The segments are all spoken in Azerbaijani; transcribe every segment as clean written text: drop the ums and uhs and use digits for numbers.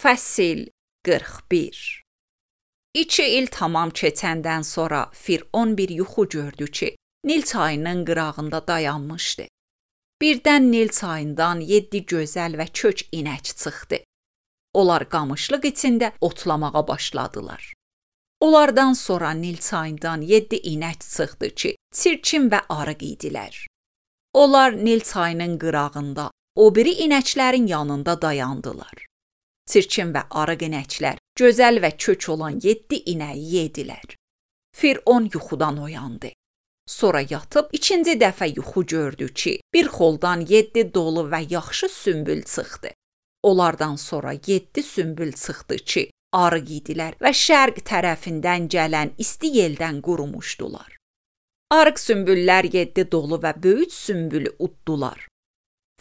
Fəsil 41. 2 il tamam keçəndən sonra Firon bir yuxu gördü ki, Nil çayının qırağında dayanmışdı. Birdən Nil çayından 7 gözəl və kök inək çıxdı. Onlar qamışlıq içində otlamağa başladılar. Onlardan sonra Nil çayından 7 inək çıxdı ki, çirkin və arıq idilər. Onlar Nil çayının qırağında, o biri inəklərin yanında dayandılar. Çirkin və arıq inəklər gözəl və kök olan 7 inəyi yedilər. Firon yuxudan oyandı. Sonra yatıb ikinci dəfə yuxu gördü ki, bir xoldan 7 dolu və yaxşı sümbül çıxdı. Onlardan sonra 7 sümbül çıxdı ki, arıq idilər və şərq tərəfindən gələn isti yeldən qurumuşdular. Arıq sümbüllər 7 dolu və böyük sümbülü uddular.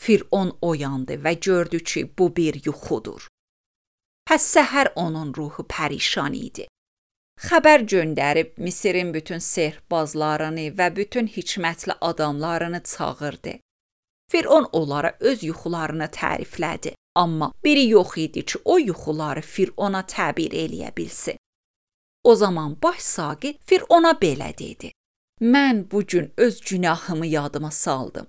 Firon oyandı və gördü ki, bu bir yuxudur. Pəs səhər onun ruhu pərişan idi. Xəbər göndərib Misirin bütün sehrbazlarını və bütün hikmətli adamlarını çağırdı. Firon onlara öz yuxularını təriflədi, amma biri yox idi ki, o yuxuları Firona təbir eləyə bilsin. O zaman baş saqi Firona belə dedi: Mən bu gün öz günahımı yadıma saldım.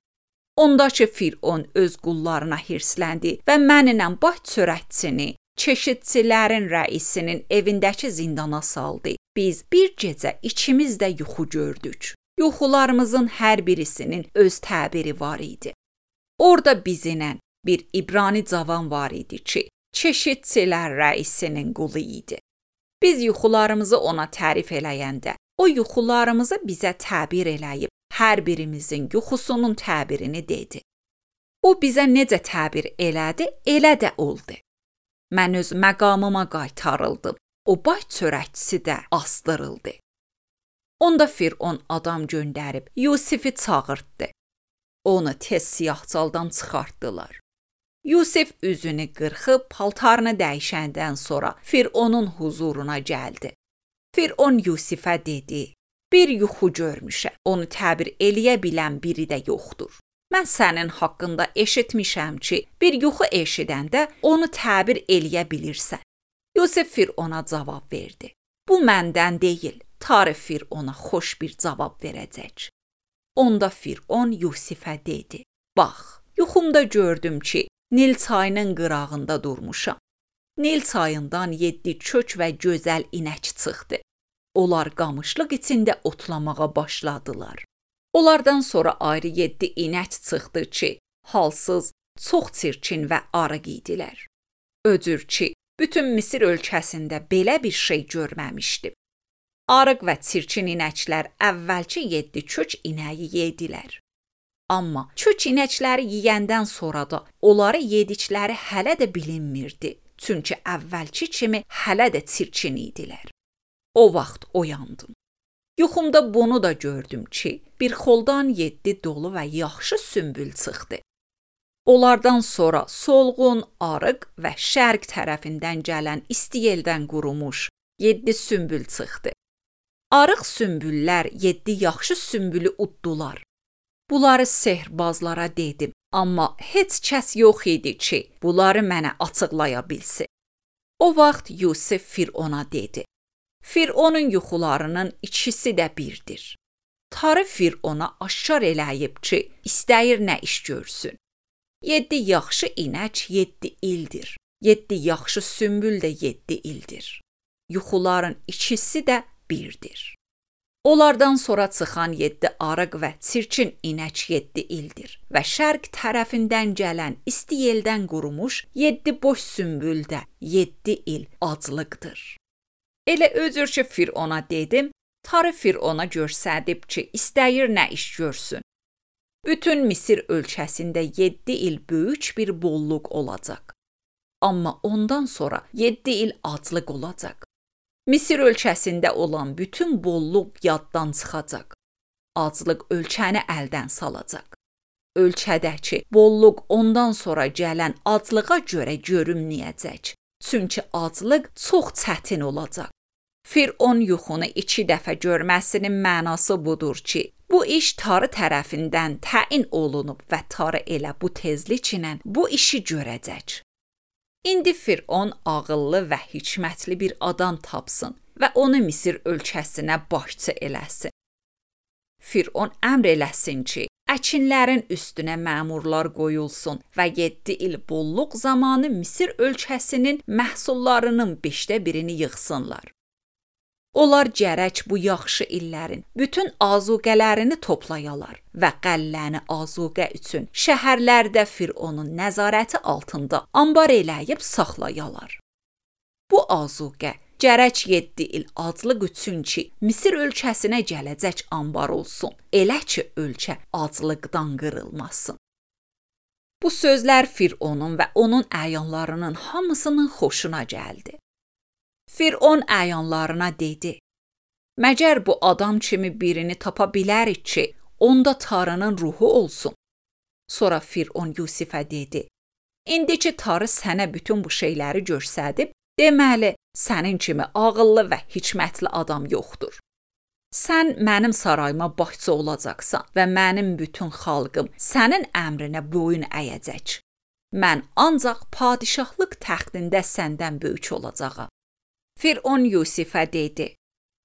Onda ki, Firon öz qullarına hirsləndi və mənimlə baş çörəkçini, çeşidçilərin rəisinin evindəki zindana saldı. Biz bir gecə ikimiz də yuxu gördük. Yuxularımızın hər birisinin öz təbiri var idi. Orada bizimlə bir İbrani cavan var idi ki, çeşidçilər rəisinin qulu idi. Biz yuxularımızı ona tərif eləyəndə, o yuxularımızı bizə təbir eləyib, hər birimizin yuxusunun təbirini dedi. O bizə necə təbir elədi, elə də oldu. Mən öz məqamıma qaytarıldım. O baş çörəkçisi də asdırıldı. Onda Firon adam göndərib Yusifi çağırtdı. Onu tez siyahcaldan çıxartdılar. Yusif üzünü qırxıb paltarını dəyişəndən sonra Fironun huzuruna gəldi. Firon Yusifə dedi: Bir yuxu görmüşəm. Onu təbir eləyə bilən biri də yoxdur. Mən sənin haqqında eşitmişəm ki, bir yuxu eşidəndə onu təbir eləyə bilirsən. Yusif Firona cavab verdi: Bu məndən deyil, tarix Firona xoş bir cavab verəcək. Onda Firon Yusifə dedi: Bax, yuxumda gördüm ki, Nil çayının qırağında durmuşam. Nil çayından 7 kök və gözəl inək çıxdı. Onlar qamışlıq içində otlamağa başladılar. Onlardan sonra ayrı 7 inək çıxdı ki, halsız, çox çirkin və arıq idilər. Öcür ki, bütün Misir ölkəsində belə bir şey görməmişdim. Arıq və çirkin inəklər əvvəlki 7 kök inəyi yedilər. Amma kök inəkləri yeyəndən sonra da onları yedikləri hələ də bilinmirdi, çünki əvvəlki kimi hələ də çirkin idilər. O vaxt oyandım. Yuxumda bunu da gördüm ki, bir xoldan 7 dolu və yaxşı sümbül çıxdı. Onlardan sonra solğun, arıq və şərq tərəfindən gələn isti yeldən qurumuş 7 sümbül çıxdı. Arıq sümbüllər 7 yaxşı sümbülü uddular. Bunları sehrbazlara dedim, amma heç kəs yox idi ki, bunları mənə açıqlaya bilsin. O vaxt Yusif Firona dedi: Fironun yuxularının ikisi də birdir. Tarix Firona aşkar eləyib ki, istəyir nə iş görsün. 7 yaxşı inək 7 ildir. 7 yaxşı sümbül də 7 ildir. Yuxuların ikisi də birdir. Onlardan sonra çıxan 7 arıq və çirkin inək 7 ildir və şərq tərəfindən gələn isti yeldən qurumuş 7 boş sümbül də 7 il aclıqdır. Elə özür ki, Firona dedim, tarix Firona göstərib ki, istəyir nə iş görsün. Bütün Misir ölkəsində 7 il böyük bir bolluq olacaq. Amma ondan sonra 7 il aclıq olacaq. Misir ölkəsində olan bütün bolluq yaddan çıxacaq. Aclıq ölkəni əldən salacaq. Ölkədəki bolluq ondan sonra gələn aclığa görə görünməyəcək. Çünki aclıq çox çətin olacaq. Firon yuxunu 2 dəfə görməsinin mənası budur ki, bu iş Tarı tərəfindən təyin olunub və Tarı elə bu tezliklə bu işi görəcək. İndi Firon ağıllı və hikmətli bir adam tapsın və onu Misir ölkəsinə başçı eləsin. Firon əmr eləsin ki, əkinlərin üstünə məmurlar qoyulsun və 7 il bolluq zamanı Misir ölkəsinin məhsullarının 1/5-ni yığsınlar. Onlar gərək bu yaxşı illərin bütün azuqələrini toplayalar və qəlləni azuqə üçün şəhərlərdə Fironun nəzarəti altında ambar eləyib saxlayalar. Bu azuqə gərək 7 il aclıq üçün ki, Misir ölkəsinə gələcək ambar olsun, elə ki, ölkə aclıqdan qırılmasın. Bu sözlər Fironun və onun əyanlarının hamısının xoşuna gəldi. Firon əyanlarına dedi, məgər bu adam kimi birini tapa bilərik ki, onda Tanrının ruhu olsun. Sonra Firon Yusifə dedi, indi ki, Tanrı sənə bütün bu şeyləri göstərib, deməli, sənin kimi ağıllı və hikmətli adam yoxdur. Sən mənim sarayıma başçı olacaqsan və mənim bütün xalqım sənin əmrinə boyun əyəcək. Mən ancaq padişahlıq təxtində səndən böyük olacağam. Firon Yusifə dedi,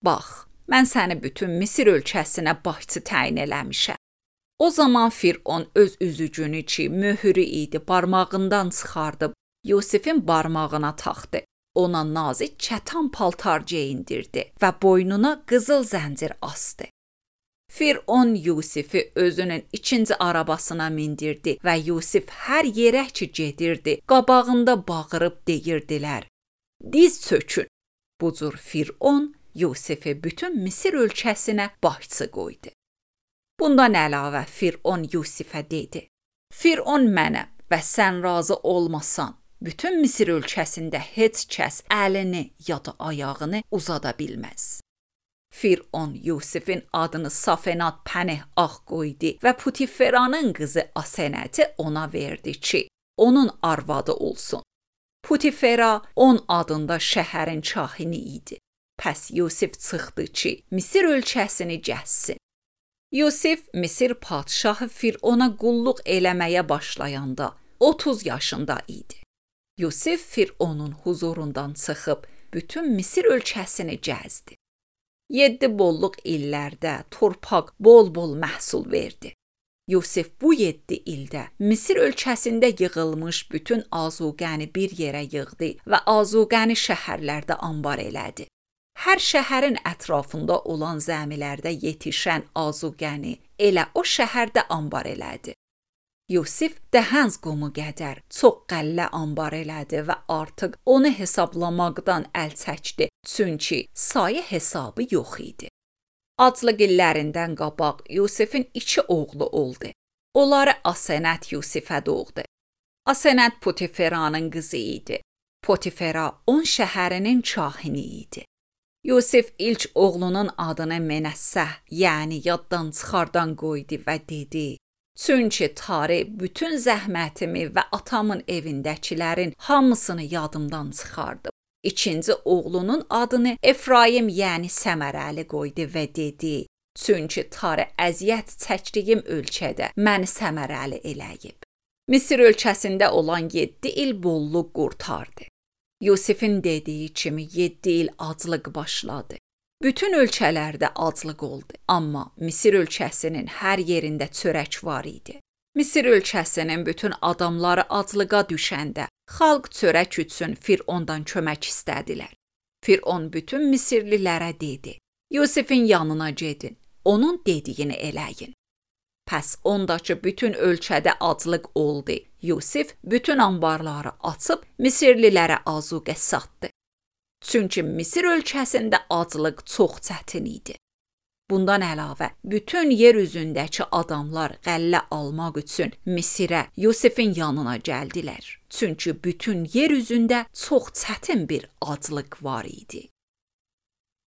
bax, mən səni bütün Misir ölkəsinə başçı təyin eləmişəm. O zaman Firon öz üzücünü ki, möhürü idi, barmağından çıxardıb Yusifin barmağına taxdı. Ona nazik kətan paltar geyindirdi və boynuna qızıl zəncir asdı. Firon Yusifi özünün ikinci arabasına mindirdi və Yusif hər yerə ki gedirdi, qabağında bağırıb deyirdilər, diz çökün. Bu cür Firon Yusifi bütün Misir ölkəsinə başçı qoydu. Bundan əlavə Firon Yusifə dedi, Firon mənəm və sən razı olmasan, bütün Misir ölkəsində heç kəs əlini ya da ayağını uzada bilməz. Firon Yusifin adını Safenat Pəneh Ağ qoydu və Putiferanın qızı Asenəti ona verdi ki, onun arvadı olsun. Putifera 10 adında şəhərin kahini idi. Pəs Yusif çıxdı ki, Misir ölkəsini gəzsin. Yusif Misir padşahı Firona qulluq eləməyə başlayanda 30 yaşında idi. Yusif Fironun huzurundan çıxıb bütün Misir ölkəsini gəzdi. 7 bolluq illərdə torpaq bol-bol məhsul verdi. Yusif bu 7 ildə Misir ölkəsində yığılmış bütün azuqəni bir yerə yığdı və azuqəni şəhərlərdə ambar elədi. Hər şəhərin ətrafında olan zəmilərdə yetişən azuqəni elə o şəhərdə ambar elədi. Yusif Dəhənz qumu qədər çox qəllə ambar elədi və artıq onu hesablamaqdan əl çəkdi, çünki sayı hesabı yox idi. Aclıq illərindən qabaq Yusifin 2 oğlu oldu. Onları Asenət Yusifə doğdu. Asenət Potiferanın qızı idi. Potifera 10 şəhərinin kahini idi. Yusif ilk oğlunun adını Menəssəh, yəni yaddan çıxardan qoydu və dedi, çünki Tanrı bütün zəhmətimi və atamın evindəkilərin hamısını yadımdan çıxardı. İkinci oğlunun adını Efraim, yəni Səmərəli qoydu və dedi, çünki Tanrı əziyyət çəkdiyim ölkədə məni səmərəli eləyib. Misir ölkəsində olan 7 il bolluq qurtardı. Yusifin dediyi kimi 7 il aclıq başladı. Bütün ölkələrdə aclıq oldu, amma Misir ölkəsinin hər yerində çörək var idi. Misir ölkəsinin bütün adamları aclığa düşəndə xalq çörək üçün Firondan kömək istədilər. Firon bütün Misirlilərə dedi, Yusifin yanına gedin, onun dediyini eləyin. Pəs ondakı bütün ölkədə aclıq oldu. Yusif bütün ambarları açıb Misirlilərə azuqə satdı. Çünki Misir ölkəsində aclıq çox çətin idi. Bundan əlavə, bütün yer üzündəki adamlar qəllə almaq üçün Misirə, Yusifin yanına gəldilər. Çünki bütün yer üzündə çox çətin bir aclıq var idi.